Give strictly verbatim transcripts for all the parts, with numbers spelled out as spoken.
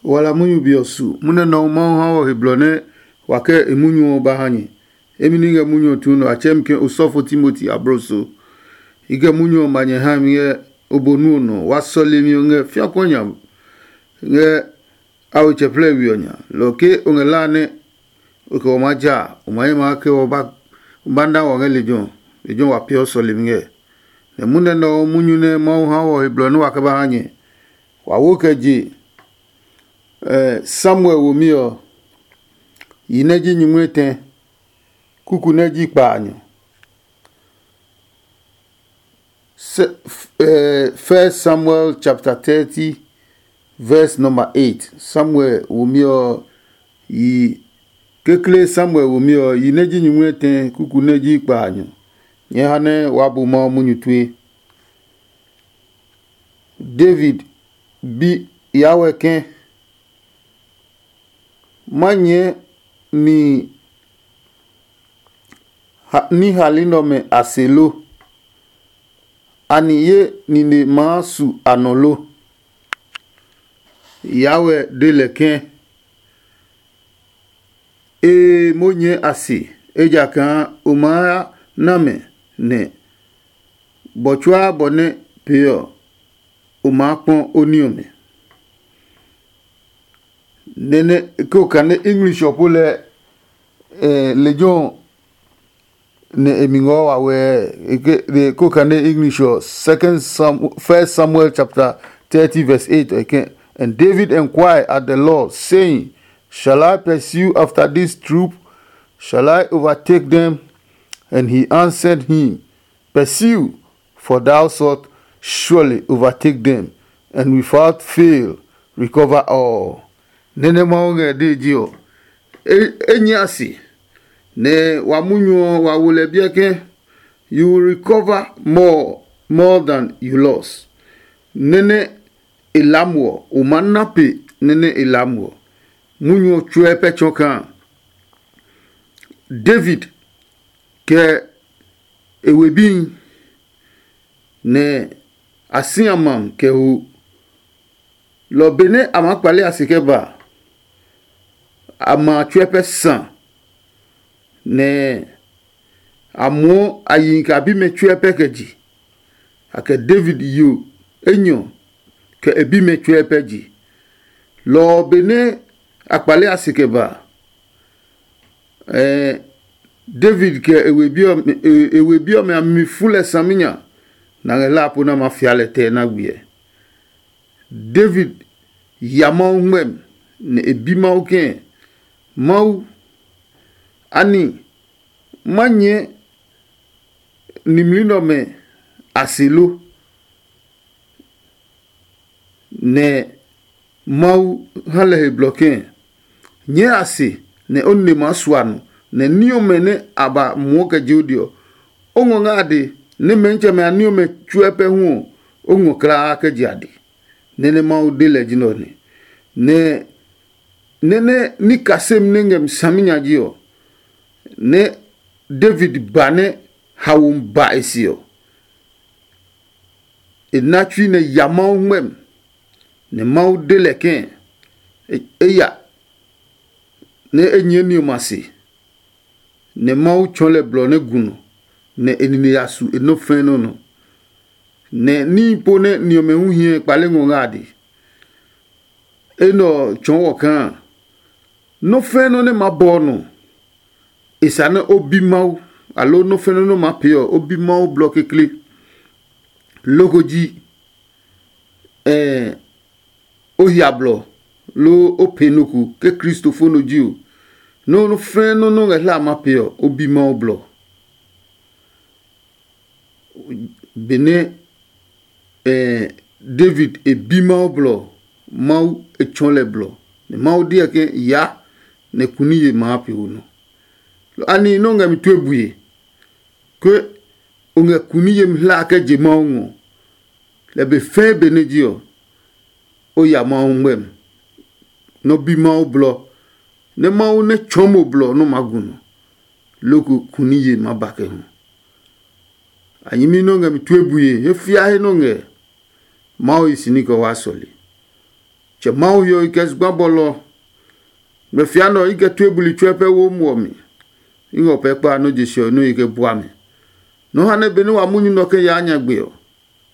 Wala munyu be ɔ su. Munɛ nɔuu Mawu ha wɔ he blɔ nɛ wa kɛ e munyu ɔ ba ha nyɛ. Emi ni ngɛ munyu ɔ tuu nɔ a tsɛɛ mi ke osɔfo Timoti abloso. I kɛ munyu ɔ ma nyɛ ha mi ngɛ obonu ɔ nɔ. Wa sɔlemi ɔ ngɛ fiakuɔ nya ngɛ a we tsɛplɛ we ɔ nya. Lɔ ke o ngɛ la nɛ o kɛ o maa ja a, o ma ye maa ke o ba na wɔ ngɛ lejɛ ɔ. Lejɛ ɔ wa peeɔ sɔlemi ngɛ. Nɛ munɛ nɛ ɔ munyu nɛ Mawu ha wɔ he blɔ nɛ wa kɛ ba ha nyɛ. Wa wo kɛ je Samuel womi ɔ, yi nɛ ji nyumu etɛ, kuku nɛ ji kpaanyɔ. First Samuel chapter thirty, verse number eight. Samuel womi ɔ, yi kekle Samuel womi ɔ, yi nɛ ji nyumu etɛ, kuku nɛ ji kpaanyɔ. Nyɛ ha nɛ waa bu Mawu munyu tue. David bi Yahweh ke, ma nyɛɛ ni ha- ní hali nɛ ɔmɛ a se lo? Anɛ ye nine maa su a nɔ lo? Yahweh de lɛ ke, ee, mo nyɛɛ a se, ejakaa o maa na mɛ, nɛ bɔ tsuaa bɔ nɛ pee ɔ, o maa kpɔ o ní ɔmɛ. Nɛnɛ ko kane English ɔ po lɛ, eh, lejɛ ɔ nɛ e mi ngɔ wa wɛ, e ke de ko kane English ɔ, second Sam, first Samuel chapter thirty verse eight, e ke, and David inquired at the Lord, saying, shall I pursue after this troop? Shall I overtake them? And he answered him, pursue, for thou shalt surely overtake them, and without fail recover all. Nɛnɛ Mawu ngɛ dee ji ɔ, e nyɛ a se, nɛ wa munyu ɔ wa wo lɛ biɛ ke, you will recover more, more than you lost. Nɛnɛ e lam wɔ, o ma na pe nɛnɛ e lam wɔ. Munyu ɔ tsuɛ pɛ tsɔ kaa David kɛ e we bihi, nɛ a si a mam kɛ ho. Lɔ benɛ a maa kpale a se kɛ ba a, a ma tsuɛ pɛ sa, nɛ a muɔ a yihi kɛ a bimɛ tsuɛ pɛ kɛ je. A kɛ David yo enyɔ kɛ e bimɛ tsuɛ pɛ je. Lɔ ɔ benɛ a kpale a se kɛ ba a, David kɛ e we bi ɔmɛ a mi fu lɛ saminya, nɛ a ngɛ hlaa po nɛ a maa fia lɛ tɛ na gbiɛ. David ya Mawu ngmɛmi, nɛ e bi Mawu kɛ̃, Mawu, ani ma nyɛɛ nimli nɛ ɔmɛ a se lo? Nɛ Mawu ha lɛ he blɔ kɛ̃, nyɛɛ a se nɛ o nine maa sua nɔ, nɛ ní ɔmɛ nɛ a ba muɔ kɛ je o de ɔ, o ngɔ ngɛ a de, nɛ mɛnitsɛmɛ a ní ɔmɛ tsuɛ pɛ hu ɔ, o ngɔ kulaa kɛ je a de. Nɛ nɛ Mawu de lɛ ji nɛ ɔ nɛ. Nɛ nɛ nɛ ní kasemi nɛ ngɛ mi saminya ji ɔ, nɛ David ba nɛ haomi ba e se ɔ, e na tsui nɛ ya Mawu ngmɛmi, nɛ Mawu de lɛ kɛ̃, e ya nɛ e nyɛɛ ni ɔmɛ a se, nɛ Mawu tsɔɔ lɛ blɔ nɛ gu nɔ, nɛ e nine ya su e nɔ́ fɛ̃ nɔ́ nɔ. Nɛ níhi po nɛ ni ɔmɛ hu hiɛ kpale ngɔ ngɛ a de. Enɛ ɔ tsɔɔ wɔ kaa nɔ́ fɛ̃ nɔ́ nɛ ma bɔ ɔ nɔ, e sa nɛ o bi Mawu, aloo nɔ́ fɛ̃ nɔ́ nɛ o maa pee ɔ, o bi Mawu blɔ kekle, loko ji ɛɛ o hia blɔ, loo o pee nɔ ko ke Kristo fo nɔ ji o. Nɔ́ nɔ́ fɛ̃ nɔ́ nɛ o ngɛ hlaa ma pee ɔ, o bi Mawu blɔ. Benɛ eh, David e bi Mawu blɔ, Mawu e tsɔɔ lɛ blɔ, nɛ Mawu deɔ ke ya nɛ kuniye maa pe o nɔ. Ani nɔ́ ngɛ mi tue bue, ke o ngɛ kuni yemi hlaa kɛ je Mawu ngɔ? Lɛ be fɛɛ benɛ je ɔ, o ya Mawu ngmɛmi, nɔ́ bi Mawu blɔ, nɛ Mawu nɛ tsɔɔ mo blɔ nɔ́ maa gu nɔ, loko kuniye maa ba kɛ hu. A nyɛmi nɔ́ ngɛ mi tue bue, he fia he nɔ́ ngɛ. Mawu yi si ní kɛ waa sɔle. Tsɛ Mawu he ɔ i kɛ zugba bɔlɔ. Ngmɛfia nɛ ɔ i kɛ tue buli tsuɛ pɛ wo muɔ mi. I ngɛ o pɛ kpa nɔ́ je se ɔ nɔ́ i kɛ bua mi. Nɔ́ ha nɛ benɛ wa munyu nɛ ɔ kɛ yaa nyagbe ɔ,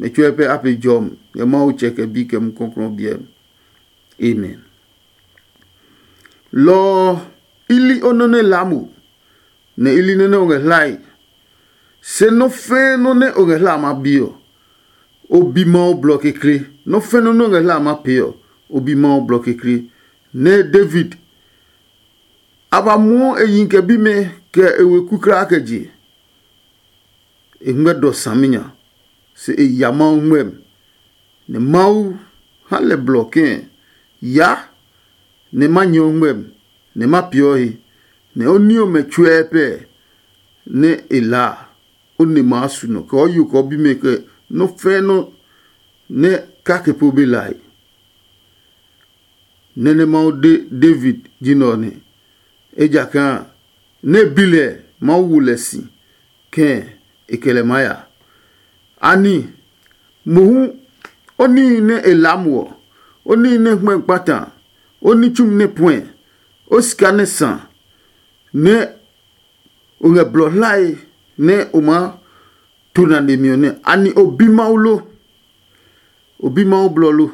mɛ tsuɛ pɛ a pe jɔmi ngɛ Mawu Tsɛ kɛ Bi kɛ Mumi Klɔuklɔu ɔ biɛ mi. Amen. Lɔ ɔ, i li o nɔ́ nɛ laa mo, nɛ i li nɔ́ nɛ o ngɛ hlae. Se nɔ́ fɛ́ɛ́ nɔ́ nɛ o ngɛ hla a ma bi ɔ, o bi Mawu blɔ kekle. Nɔ́ fɛ́ɛ́ nɔ́ nɛ o ngɛ hla a ma pee ɔ, o bi Mawu blɔ kekle. Nɛ David, a ba muɔ e yi kɛ bimɛ kɛ e weku kulaa kɛ je. E ngmɛ dɔ saminya, se e ya Mawu ngmɛmi, nɛ Mawu ha lɛ blɔ kɛ̃, ya nɛ ma nyɛ o ngmɛmi, nɛ ma peeɔ he, nɛ o ní ɔmɛ tsuɛɛ pɛɛ nɛ e laa a, o ne maa su nɔ kɛ o yo kɛ o bimɛ kɛ nɔ́ fɛ́ɛ́ nɔ́ nɛ kake po be lae. Nɛ́ nɛ Mawu de David ji nɛ ɔ nɛ, ejakaa nɛ e bi lɛ Mawu wo lɛ si kɛ̃ e kɛ lɛ maa ya. Ani mohu o níhi nɛ e laa mo ɔ, o níhi nɛ hmɛ kpata, o ní tsumi nɛ puɛ, o sika nɛ sa, nɛ o ngɛ blɔ hlae nɛ o maa to nane mi ɔ nɛ, ani o bi Mawu lo? O bi Mawu blɔ lo?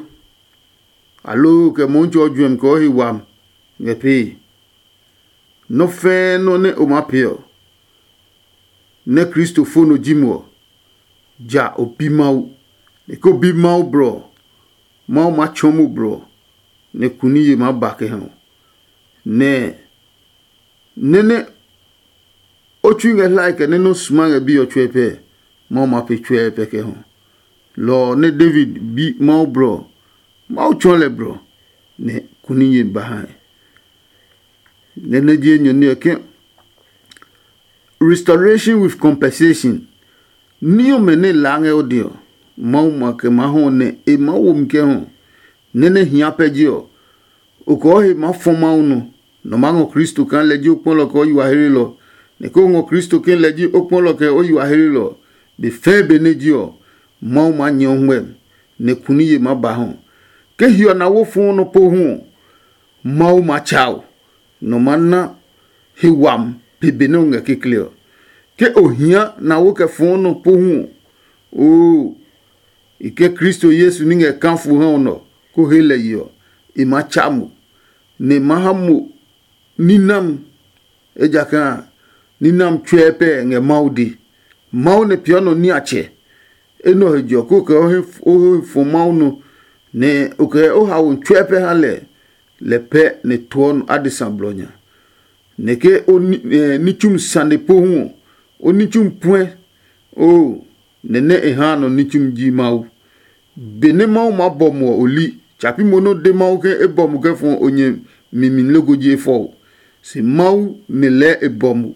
Aloo kɛ Mɔmitsɛ ɔ juɛmi kɛ o he wami ngɛ pee? Nɔ́ fɛ́ɛ́ nɔ́ nɛ o maa pee ɔ, nɛ Kristo fo nɔ ji mo ɔ, ja o bi Mawu. Nɛ ke o bi Mawu blɔ ɔ, Mawu maa tsɔɔ mo blɔ ɔ, nɛ kuniye maa ba kɛ ha o. Nɛ nɛ́ nɛ o tsui ngɛ hlae kɛ nɛ nɔ́ suma ngɛ bi ɔ tsuɛ pɛ, Mawu ma pe tsuɛ pɛ kɛ hɔ. Lɔ ɔ nɛ David bi Mawu blɔ ɔ, Mawu tsɔɔ lɛ blɔ, nɛ kuniye ba hae. Nɛ nɛ ji enyɔ ní ɔ ke, restoration with compensation. Ní ɔmɛ nɛ laa ngɛ o dɛ ɔ, Mawu ma kɛ maa hɔ nɛ e maa wo mi kɛ hɔ. Nɛ́ nɛ hia pɛ ji ɔ, o kɔɔ he maa fɔ Mawu nɔ, nɔ maa ngɔ Kristo kaa lɛ ji o kpɔlɔ kɛ o yi wa hlelɔ, nɛ ke o ngɔ Kristo ke lɛ ji o kpɔlɔ kɛ o yi wa hlelɔ, be fɛɛ benɛ ji ɔ, Mawu maa nyɛ o ngmɛmi, nɛ kuniye maa ba hɔ. Ke hiɔ na wo fɔɔ nɔ pohu ɔ, Mawu maa tsa o, nɔ maa na he wami pe benɛ o ngɛ kekle ɔ. Ke o hia na wo kɛ fɔɔ nɔ pohu ɔ, oo, i ke Kristo Yesu ní ngɛ kafo ha ɔ nɔ ko he lɛ yi ɔ, e maa tsa mo, nɛ e maa ha mo ní nami, ejakaa ní nami tsuɛ pɛ ngɛ Mawu dee. Mawu nɛ peeɔ nɔ niatsɛ. Enɛ ɔ he je ɔ, kó kɛ o he fɔ Mawu nɔ, nɛ o kɛ o haoe tsuɛ pɛ ha lɛ, lɛ pɛ nɛ tuɔ adesa blɔ nya. Nɛ ke o ní tsumi sane pohu ɔ, o ní tsumi puɛ, oo, nɛ nɛ e haa nɔ ní tsumi ji Mawu. Benɛ Mawu maa bɔ mo ɔ, o li. Tsa pi mo nɛ o de Mawu ke e bɔ mo kɛ fɔ o nyɛ mi mi loko ji e fɔ o. Se Mawu nɛ lɛɛ e bɔ mo.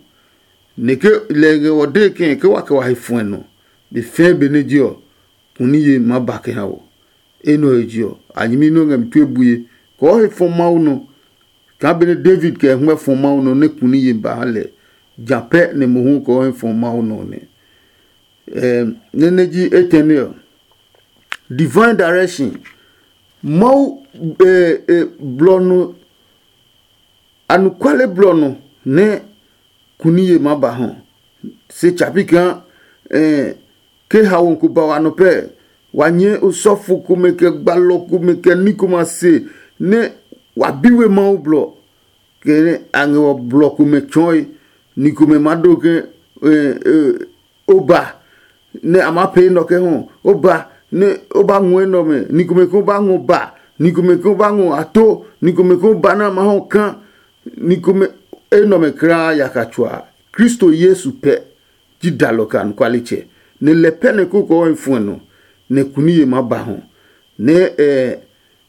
Nɛ ke lɛ ngɛ wɔ dee kɛ̃ ke wa kɛ wa he fuɛ nɔ, be fɛɛ benɛ je ɔ, kuniye maa ba kɛ ha wɔ. Enɛ ɔ he je ɔ, a nyɛmi nɛ o ngɛ mi tue bue, kɔɔ he fɔ Mawu nɔ. Kaa benɛ David kɛ hwɛ fɔ Mawu nɔ nɛ kuniye ba ha lɛ, ja pɛ nɛ mohu kɔɔ he fɔ Mawu nɔ nɛ. Nɛ nɛ ji etɛne ɔ, divine direction. Mawu blɔ nɔ, anɔkuale blɔ nɔ nɛ kuniye maa ba hɔ. Se tsa pi kaa ke haomi ko ba wa nɔ pɛɛ, wa nyɛɛ osɔfo komɛ kɛ gbalɔ komɛ kɛ ní komɛ a se, nɛ wa bi we Mawu blɔ. Kɛ a ngɛ wɔ blɔ komɛ tsɔɔe, ni komɛ maa do ke o ba nɛ a maa pee nɔ kɛ hɔ, o ba nɛ o ba ngɔ enɛ ɔmɛ, ni komɛ ko ba ngɔ ba, ni komɛ ko ba ngɔ ato, ni komɛ ko ba nɛ a maa hɔ kaa, ni komɛ enɛ ɔmɛ kulaa yaka tsuaa. Kristo Yesu pɛ ji dalɔ kɛ anɔkualetsɛ, nɛ lɛ pɛ nɛ kokoo ɔ fuɛ nɔ, nɛ kuniye maa ba hɔ. Nɛ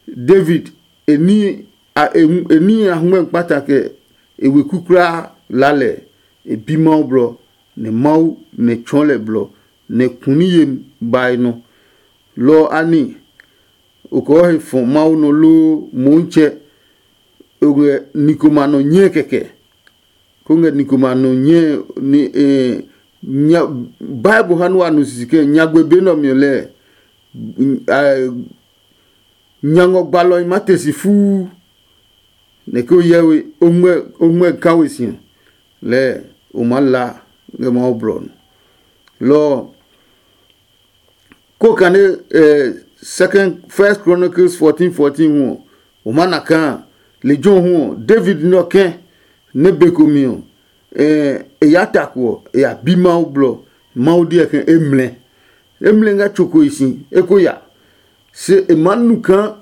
David e ní a e ní a hwɛ kpata kɛ e weku kulaa la lɛ, e bi Mawu blɔ, nɛ Mawu nɛ tsɔɔ lɛ blɔ, nɛ kuniye bae nɔ. Lɔ ɔ a ní, o kɔɔ he fɔ Mawu nɔ loo Moonsɛ o ngɛ ni komɛ a nɔ nyɛɛ kɛkɛ? Ko ngɛ ni komɛ a nɔ nyɛɛ ni nya Bible ha nɛ wa nu sisi ke nyagbe be nɛ ɔ mi ɔ lɛɛ, Nya ngɔ gbalɔhi maa te si fuu, nɛ ke o hyɛ we, o ngmɛ ka we si ɔ, lɛɛ o maa la ngɛ Mawu blɔ ɔ nɔ. Lɔ ɔ, ko kane eh, Second, First Chronicles fourteen fourteen hu ɔ, o ma na kaa lejɛ ɔ hu ɔ, David nɛ ɔ kɛ̃ nɛ be ko mi ɔ, eh, e ya tako ɔ, e ya bi Mawu blɔ. Mawu deɛ ke e mlɛ. E mlɛ ngɛ tso ko e si, e ko ya. Se e maa nu kaa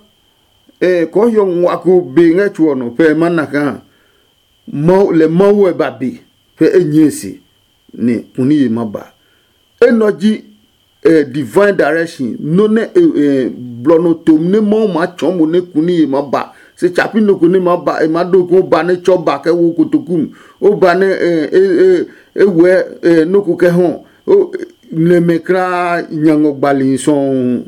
eh, kɔɔ hiɔ ngua ko be ngɛ tso ɔ nɔ pɛ e ma na kaa Mawu, lɛ Mawu ɛ ba be pɛ e nyɛe se, nɛ kuniye ma ba. Enɛ ɔ ji eh, divine direction, nɔ́ nɛ eh, eh, blɔ nɔ tom nɛ Mawu maa tsɔɔ mo nɛ kuniye ma ba. Se tsapi nɔ ko nɛ ma ba, e ma do ko ba nɛ tsɔ ba kɛ wo kotoku mi, o ba nɛ eh, eh, eh, e wɛ eh, nɔ ko kɛ hɔ, o nɛ mɛ kraa nya ngɔ gbali sɔɔ.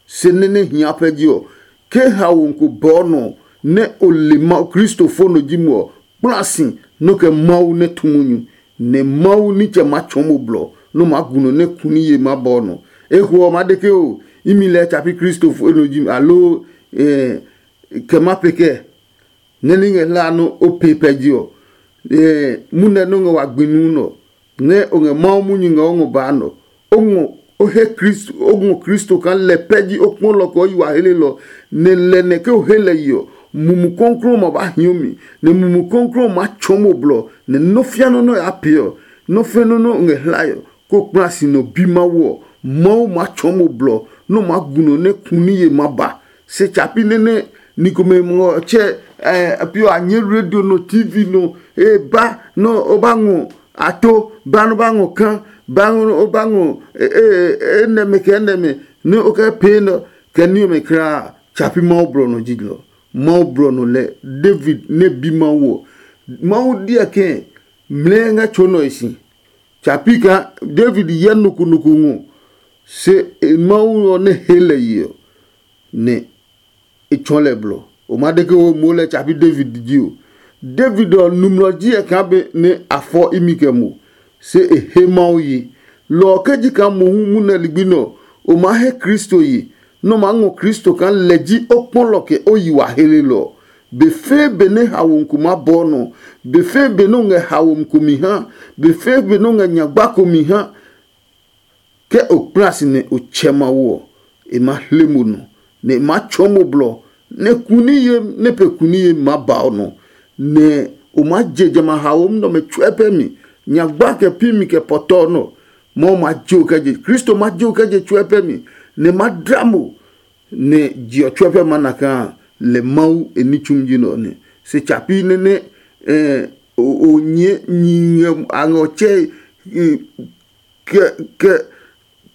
Se nɛ nɛ hia pɛ ji ɔ, ke haomi ko bɔɔ nɔ nɛ o le Mawu, Kristo fo nɔ ji mo ɔ, kpla si nɔ kɛ Mawu nɛ tu munyu, nɛ Mawu nitsɛ maa tsɔɔ mo blɔ nɛ o maa gu nɔ nɛ kuniye maa bɔɔ nɔ. Eko ɔ, maa de ke o, imi lɛɛ tsa pi Kristo fo nɔ ji mi, aloo kɛ ma pe kɛ? Nɛ ní ngɛ hlaa nɔ́ o pee pɛ je ɔ, munɛ nɔ́ ngɛ wa gbi nuu nɔ, nɛ o ngɛ Mawu munyu ngɛ o ngɔ baa nɔ. O ngɔ o he Kristo, o ngɔ Kristo kaa lɛ pɛ ji o kpɔlɔ kɛ o yi wa helelɔ, nɛ lɛ nɛ ke o he lɛ yi ɔ, Mumi Klɔuklɔu ɔ ma ba hio mi, nɛ Mumi Klɔuklɔu ɔ maa tsɔɔ mo blɔ, nɛ nɔ́ fia nɔ́ nɛ o yaa pee ɔ, nɔ́ fɛ nɔ́ nɛ o ngɛ hlae ɔ, ko kpla si nɔ bi Mawu ɔ, Mawu maa tsɔɔ mo blɔ nɛ o maa gu nɔ nɛ ku ní ye ma ba. Se tsa pi nɛ nɛ ni komɛ ngɔ tsɛ ɛ pi ɔ a nyɛ radio nɔ, TV nɔ, e ba nɔ o ba ngɔ ato, ba nɔ ba ngɔ kan, ba nɔ o ba ngɔ e nɛmɛ kɛ nɛmɛ nɛ o kɛ pee nɔ kɛ ní ɔmɛ kulaa. Tsa pi Mawu blɔ nɔ ji lɔ. Mawu blɔ nɔ lɛ David nɛ bi Mawu ɔ. Mawu diɛ kɛ mlɛɛ ngɛ tso nɔ e si. Tsa pi kaa David hyɛ nɔ ko nɔ ko ngɔ, se Mawu ɔ nɛ he lɛ ye ɔ, nɛ e tsɔɔ lɛ blɔ. O ma de ke o moo lɛ tsa pi David ji o. David ɔ numlɔ ji ɛ kaa be nɛ a fɔ imi kɛ mo, se e he Mawu ye. Lɔ ɔ ke ji kaa mohu munɛ ligbi nɛ ɔ, o maa he Kristo ye, nɛ o maa ngɔ Kristo kaa lɛ ji o kpɔlɔ kɛ o yi wa helelɔ ɔ. Be fɛɛ benɛ haomi ko maa bɔɔ nɔ, be fɛɛ benɛ o ngɛ haomi ko mi ha, be fɛɛ benɛ o ngɛ nyagba ko mi ha, ke o kpla si nɛ o tsɛ Mawu ɔ, e maa hle mo nɔ, nɛ e maa tsɔɔ mo blɔ, nɛ kuniye nɛ pɛ kuniye maa ba o nɔ, nɛ o maa je jamɛ a haomi nɛ ɔmɛ tsuɛ pɛ mi, nyagba kɛ pi mi kɛ pɔtɔ nɔ. Mawu ma je o kɛ je, Kristo ma je o kɛ je tsuɛ pɛ mi, nɛ ma dla mo, nɛ je ɔ tsuɛ pɛ ma na kaa lɛ Mawu e ní tsumi ji nɛ ɔ nɛ. Se tsa pi nɛ nɛ o nyɛ nyi ngɛ a ngɛ ɔ tsɛ kɛ kɛ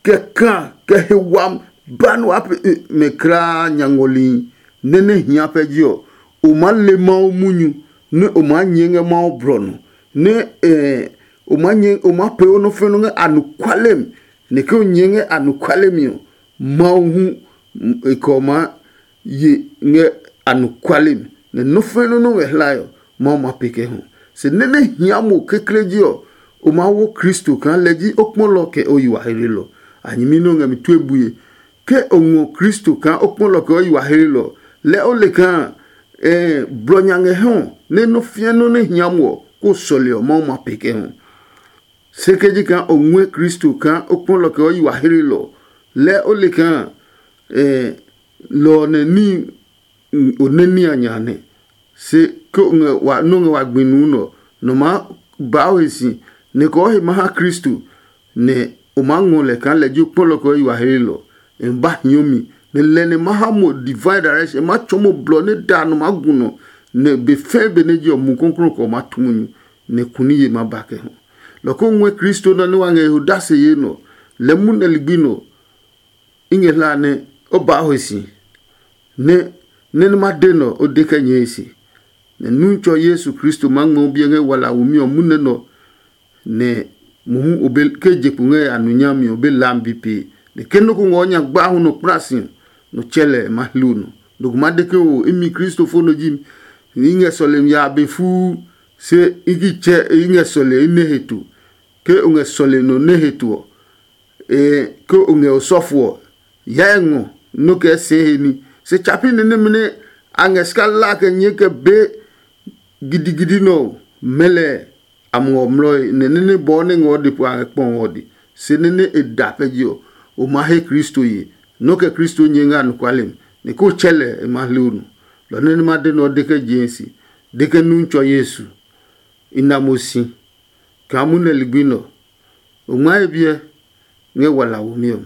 kɛ ka kɛ he wam ba nɛ waa pee mɛ kulaa nya ngɔli nɛ nɛ hia pɛ ji ɔ, o maa le Mawu munyu nɛ o maa nyɛɛ ngɛ Mawu blɔ nɔ, nɛ o maa nyɛ o maa pee o nɔ fɛnɔ ngɛ anɔkuale mi, nɛ ke o nyɛɛ ngɛ anɔkuale mi ɔ, Mawu hu e kɛ ɔ maa ye ngɛ anɔkuale mi, nɛ nɔ́ fɛnɔ nɔ́ ngɛ hlae ɔ, Mawu ma pee kɛ hu. Se nɛ nɛ hia mo kekle ji ɔ, o maa wo Kristo kaa lɛ ji o kpɔlɔ kɛ o yi wa helelɔ. A nyɛmi nɛ o ngɛ mi tue bue. Ke o ngɔ Kristo kaa o kpɔlɔ kɛ o yi wa helelɔ, lɛɛ o le kaa blɔ nya ngɛ hɛ ɔ, nɛ nɔ́ fiɛ nɔ́ nɛ hia mo ɔ, kó sɔle ɔ, Mawu ma pee kɛ hu. Se ke ji kaa o ngɔɛ Kristo kaa o kpɔlɔ kɛ o yi wa helelɔ, lɛɛ o le kaa lɔ ɔ nɛ ní o nɛ ní a nya nɛ. Se ke o ngɛ wa nɔ́ ngɛ wa gbi nuu nɛ ɔ, nɔ maa baa o he si, nɛ kɔɔ he ma ha Kristo, nɛ o maa ngɔ lɛ kaa lɛ ji o kpɔlɔ kɛ o yi wa helelɔ. E ba hiɔ mi, nɛ lɛ nɛ ma ha mo divine direction, e ma tsɔɔ mo blɔ nɛ da nɔ maa gu nɔ, nɛ be fɛɛ be nɛ ji ɔ, Mumi Klɔuklɔu kɛ ɔ maa tu munyu, nɛ kuniye ma ba kɛ hu. Lɔ ko ngɔɛ Kristo nɛ nɛ wa ngɛ he odase yee nɔ, lɛ munɛ ligbi nɔ, i ngɛ hlaa nɛ o ba o he si, nɛ nɛ nɛ ma de nɔ o de kɛ nyɛɛ he si. Nɛ Nutsɔ Yesu Kristo maa ngmɛ o biɛ ngɛ wala a wumi ɔ munɛ nɔ, nɛ mohu o be ke je kpo ngɛ a nu nyami ɔ be laami bi pee. Nɛ ke nɔ́ ko ngɔ nya gbahu nɔ kpla si ɔ, nɔ tsɛ lɛ e ma hli o nɔ. Nɔ ko ma de ke o imi Kristofo nɔ ji mi, i ngɛ sɔlemi ya be fuu, se i ki tsɛ i ngɛ sɔle i nɛ he to. Ke o ngɛ sɔle nɔ nɛ he to ɔ, ke o ngɛ osɔfo ɔ, hyɛ ngɔ nɔ́ kɛ sɛɛ he ní, Se tsapi ni nɛmɛ nɛ a ngɛ si kɛ la kɛ nyɛɛ kɛ be gidigidi nɛ ɔ, mɛ lɛ a muɔ mlɔe, nɛ nɛ́ nɛ bɔɔ nɛ ngɛ ɔ de po a ngɛ kpɔ ɔ de. Se nɛ́ nɛ e da pɛ je ɔ, o ma he Kristo ye. Nɔ́ kɛ Kristo nyɛ ngɛ anɔkuale mi, nɛ ko tsɛ lɛ e ma hle o nu. Lɔ nɛ nɛ ma de nɛ ɔ de kɛ jee si, de kɛ nu tsɔ Yesu. I na mo si kaa munɛ ligbi nɛ ɔ, o ngma he biɛ ngɛ wala womi ɔ.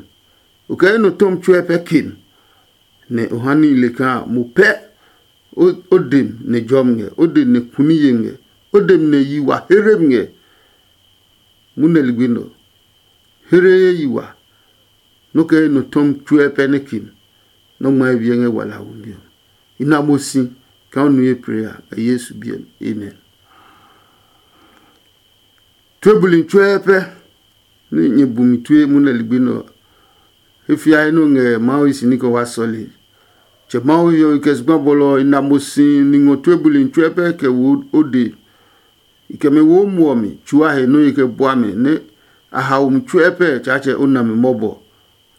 O kɛ enɛ tɔmi tsuɛ pɛ kem, nɛ o ha níhi le kaa mo pɛ o dem nɛ jɔmi ngɛ, o dem nɛ kuni yemi ngɛ, o dem nɛ yi wa here mi ngɛ. Munɛ ligbi nɛ ɔ, here ye yi wa, nɔ́ kɛ enɛ tɔmi tsuɛ pɛ nɛ kem, nɔ́ ngma he biɛ ngɛ wala womi ɔ. I na mo si kaa o nu ye plee a ngɛ Yesu biɛ mi. Amen. Tue buli tsuɛ pɛ nɛ nyɛ bu mi tue munɛ ligbi nɛ ɔ, he fiae nɛ o ngɛ Mawu yi si ní kɛ wa sɔle. Tsɛ Mawu hiɔwe kɛ zugba bɔlɔ ɔ, i na mo si ni ngɔ tue buli tsuɛ pɛ kɛ wo o dee. I kɛ mɛ wo muɔ mi tsuaa he nɔ́ ye kɛ bua mɛ nɛ a hao mi tsuɛ pɛ Tsaatsɛ o na mi mɔbɔ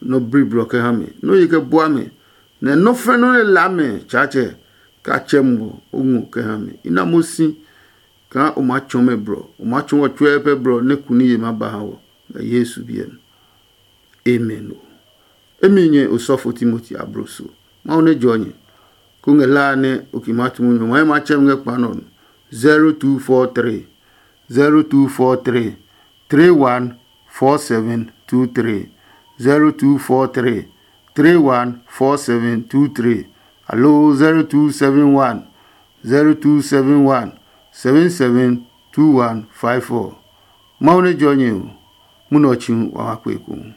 nɔ bliblɔ kɛ ha mi. Nɔ́ ye kɛ bua mɛ, nɛ nɔ́ fɛ̃ nɔ́ nɛ laa mɛ Tsaatsɛ ka tsɛ muɔ o ngɔ kɛ ha mi. I na mo si kaa o maa tsɔɔ mɛ blɔ, o maa tsɔɔ wɔ tsuɛ pɛ blɔ nɛ kuni ye maa ba ha wɔ ngɛ Yesu biɛ mi. Amen o. Emi nyɛ osɔfo Timoti abloso. Mawu nɛ jɔ nyɛ, ko ngɛ laa nɛ o ki maa tu munyu ɔ, ma tsɛ mi ngɛ kpa nɔ ɔ. Zero two four three, zero two four three, three one four seven two three, zero two four three, three one four seven two three, aloo zero two seven one, zero two seven one, seven seven two one five four. Mawu nɛ jɔ nyɛ o, munɛ ɔ tsi hu wa ma kpe ekohu.